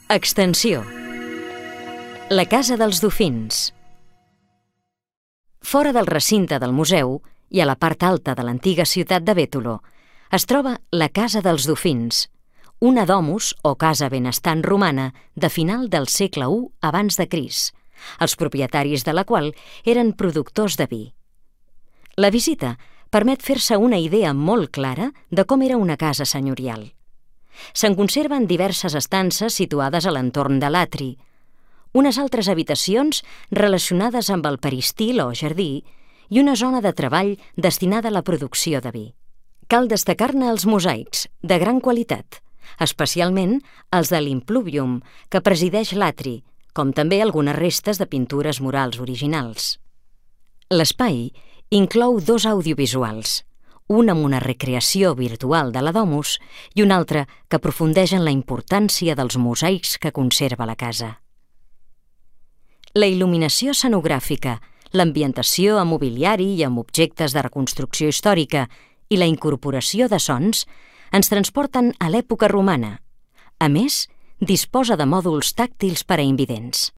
Extensió. La Casa dels Dofins. Fora del recinte del museu i a la part alta de l'antiga ciutat de Bétolo es troba la Casa dels Dofins, una domus o casa benestant romana de final del segle I abans de Crist, els propietaris de la qual eren productors de vi. La visita permet fer-se una idea molt clara de com era una casa senyorial. Se'n conserven diverses estances situades a l'entorn de l'atri, unes altres habitacions relacionades amb el peristil o jardí i una zona de treball destinada a la producció de vi. Cal destacar-ne els mosaics, de gran qualitat, especialment els de l'impluvium, que presideix l'atri, com també algunes restes de pintures murals originals. L'espai inclou 2 audiovisuals, un amb una recreació virtual de la domus i un altre que aprofundeix en la importància dels mosaics que conserva la casa. La il·luminació escenogràfica, l'ambientació amb mobiliari i amb objectes de reconstrucció històrica i la incorporació de sons ens transporten a l'època romana. A més, disposa de mòduls tàctils per a invidents.